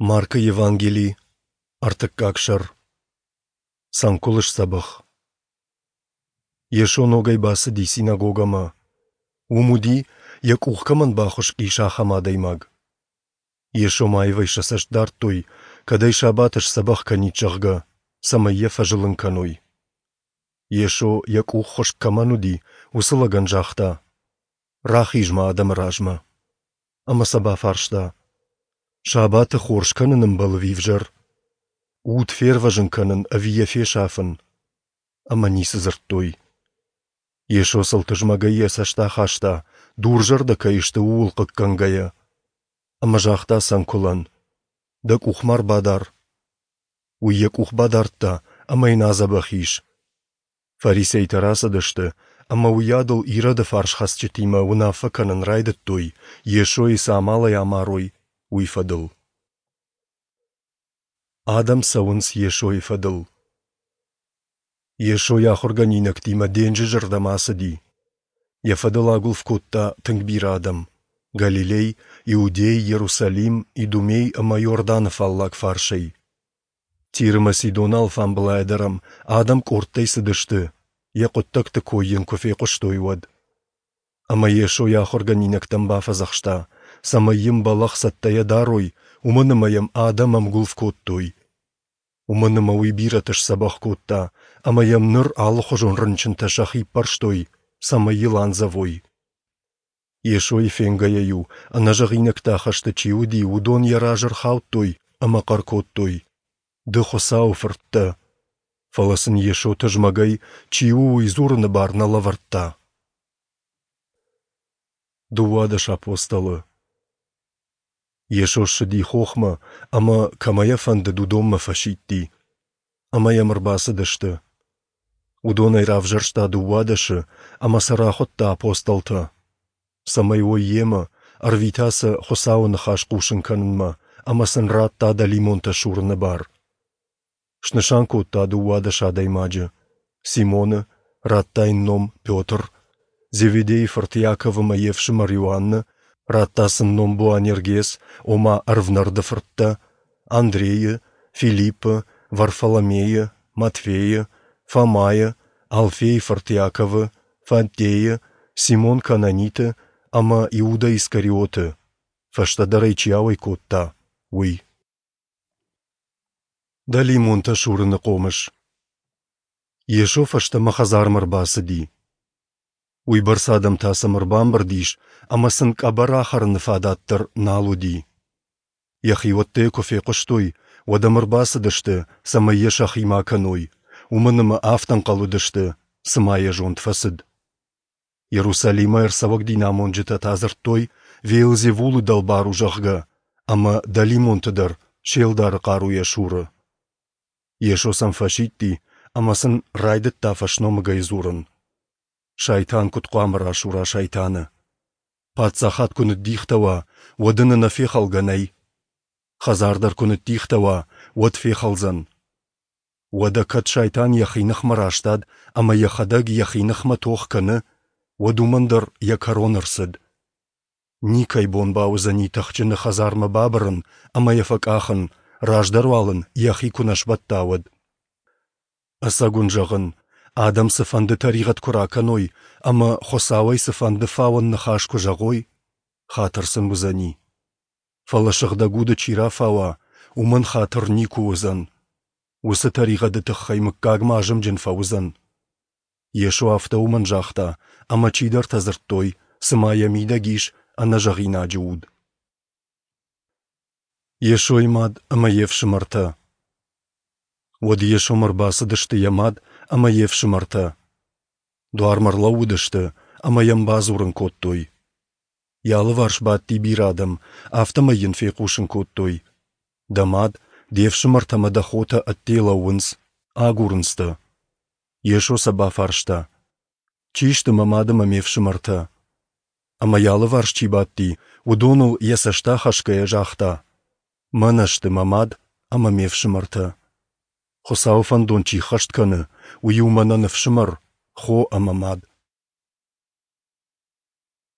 Маркы Евангели, ӕртыккаг сӕр. Цӕнкуыл сдзӕбӕх. Йесо ногӕй бацыди синагогӕмӕ. Уым уыди, йӕ къух кӕмӕн бахуыскъ ис, ахӕм адӕймаг. Йесомӕ аивӕй сӕ цӕст дардтой, кӕд ӕй сабаты сдзӕбӕх кӕнид, зӕгъгӕ, цӕмӕй йӕ фӕзылын кӕной. Йесо, йӕ къух хуыскъ кӕмӕн уыди, уыцы лӕгӕн загъта: «Рахиз-ма адӕмы размӕ». Ӕмӕ сӕ бафарста: «Сабаты хорз кӕнын ӕмбӕлы ӕви ӕвзӕр? Уд фервӕзын кӕнын ӕви йӕ фесафын?» Ӕмӕ ницы дзырдтой. Йесо сыл тызмӕгӕй йӕ цӕст ахаста, дурзӕрдӕ кӕй сты, ууыл хъыггӕнгӕйӕ. Ӕмӕ загъта цӕнкуылӕн: «Дӕ къух ма рбадар». Уый йӕ къух бадардта ӕмӕ йын адзӕбӕх ис. Фарисейтӕ рацыдысты ӕмӕ уыйадыл Ироды фарсхӕцджытимӕ уынаффӕ кӕнын райдыдтой, Йесойы цы амалӕй амарой, уый фӕдыл. Адӕм цӕуынц Йесойы фӕдыл. Йесо йӕ ахуыргӕнинӕгтимӕ денджызы рдӕм ацыди. Йӕ фӕдыл агуылф кодта тынг бирӕ адӕм – Галилей, Иудей, Иерусалим, Идумей ӕмӕ Иорданы фаллаг фарсӕй. Тир ӕмӕ Сидоны алфамбылайӕ дӕр ӕм адӕм къордтӕй цыдысты, йӕ хъуыддӕгты кой йын куы фехъуыстой, уӕд. Ӕмӕ Йесо йӕ ахуыргӕнинӕгтӕн бафӕдзӕхста, цӕмӕй йын бӕлӕгъ цӕттӕйӕ дарой, уымӕн ӕмӕ йӕм адӕм ӕмгуылф кодтой. Уымӕн ӕмӕ уый бирӕты сдзӕбӕх кодта, ӕмӕ йӕм ныр алыхуызон рынчынтӕ сӕхи ппӕрстой, цӕмӕй йыл андзӕвой. Йесойы фенгӕйӕ-иу, ӕнӕзӕгъинӕгтӕ ахӕсты чи уыди, уыдон йӕ разы ӕрхаудтой ӕмӕ хъӕр кодтой: «Ды Хуыцауы Фырт дӕ!» Фӕлӕ сын Йесо тызмӕгӕй, чи у, уый дзурыны бар нӕ лӕвӕрдта. 12 апостолы Йесо ссыди хохмӕ ӕмӕ, кӕмӕ йӕ фӕндыд, уыдонмӕ фӕсидти. Ӕмӕ йӕм ӕрбацыдысты. Уыдонӕй равзӕрста дыууадӕсы ӕмӕ сӕ рахуыдта апостолтӕ, цӕмӕй уой йемӕ, ӕрвита сӕ Хуыцауы ныхас хъусын кӕнынмӕ ӕмӕ сын радта дӕлимонтӕ сурыны бар. Снысан кодта 12 адӕймаджы: Симоны, радта йын ном Петр, Зеведейы фырт Иаков ӕмӕ йе фсымӕр Иоанны, радта сын ном Боанергес, ома ӕрвнӕрды фырттӕ, Андрейы, Филиппы, Варфоломейы, Матфейы, Фомайы, Алфейы фырт Иаковы, Фаддейы, Симон Кананиты ӕмӕ Иуда Искариоты, фӕстӕдӕр ӕй чи ауӕй кодта, уый. Дӕлимонтӕ сурыны хъомыс. Йесо фӕстӕмӕ хӕдзармӕ ӕрбацыди. Уыйбӕрц адӕм та сӕм ӕрбамбырд ис, ӕмӕ сын къӕбӕр ахӕрыны фадат дӕр нал уыди. Йӕхиуӕттӕ йӕ куы фехъуыстой, уӕд ӕм ӕрбацыдысты, цӕмӕй йӕ сӕхимӕ акӕной, уымӕн ӕмӕ афтӕ ӕнхъӕл уыдысты, цыма йӕ зонд фӕцыд. Иерусалимӕй ӕрцӕуӕг динамонджытӕ та дзырдтой, Веелзевулы дӕлбар у, зӕгъгӕ, ӕмӕ дӕлимонты дӕр се лдары хъаруйӕ суры. Йесо сӕм фӕсидти ӕмӕ сын райдыдта фӕсномыгӕй дзурын. Сайтан куыд хъуамӕ расура сайтаны? Паддзахад куы ныддихтӕ уа, уӕд ын ӕнӕфехалгӕ нӕй. Хӕдзар дӕр куы ныддихтӕ уа, уӕд фехӕлдзӕн. Уӕдӕ кӕд сайтан йӕхи ныхмӕ растад ӕмӕ йӕхӕдӕг йӕхи ныхмӕ тох кӕны, уӕд уымӕн дӕр йӕ кӕрон ӕрцыд. Никӕй бон бауыдзӕни тыхджыны хӕдзармӕ бабырын ӕмӕ йӕ фӕкъахын, раздӕр уал ын йӕхи куы нӕ сбӕтта, уӕд. Ӕцӕг уын зӕгъын, адӕм цыфӕнды тӕригъӕд куы ракӕной ӕмӕ Хуыцауӕй цыфӕнды фауӕн ныхас куы зӕгъой, хатыр сын уыдзӕни. Фӕлӕ Сыгъдӕг Уды чи рафауа, уымӕн хатыр никуы уыдзӕн. Уыцы тӕригъӕды тыххӕй мыггагмӕ азымджын фӕуыдзӕн. Йесо афтӕ уымӕн загъта, ӕмӕ чидӕртӕ дзырдтой, цыма йӕ мидӕг ис ӕнӕзӕгъинаджы уд. Йесойы мад ӕмӕ йе фсымӕртӕ. Уӕд Йесомӕ ӕрбацыдысты йӕ мад ӕмӕ йе фсымӕртӕ. Дуармӕ ӕрлӕууыдысты ӕмӕ йӕм бадзурын кодтой. Йӕ алыварс бадти бирӕ адӕм, афтӕмӕй йын фехъусын кодтой: Дӕ мад, де фсымӕртӕ ӕмӕ дӕ хотӕ ӕдде лӕууынц, агурынц дӕ. Йесо сӕ бафарста: Чи сты мӕ мад ӕмӕ ме фсымӕртӕ? Ӕмӕ йӕ алыварс чи бадти, уыдоныл йӕ цӕст ахӕсгӕйӕ загъта: Мӕнӕ сты мӕ мад ӕмӕ ме фсымӕртӕ. Хуыцауы фӕндон чи ххӕст кӕны, уый у мӕнӕн ӕфсымӕр, хо ӕмӕ мад.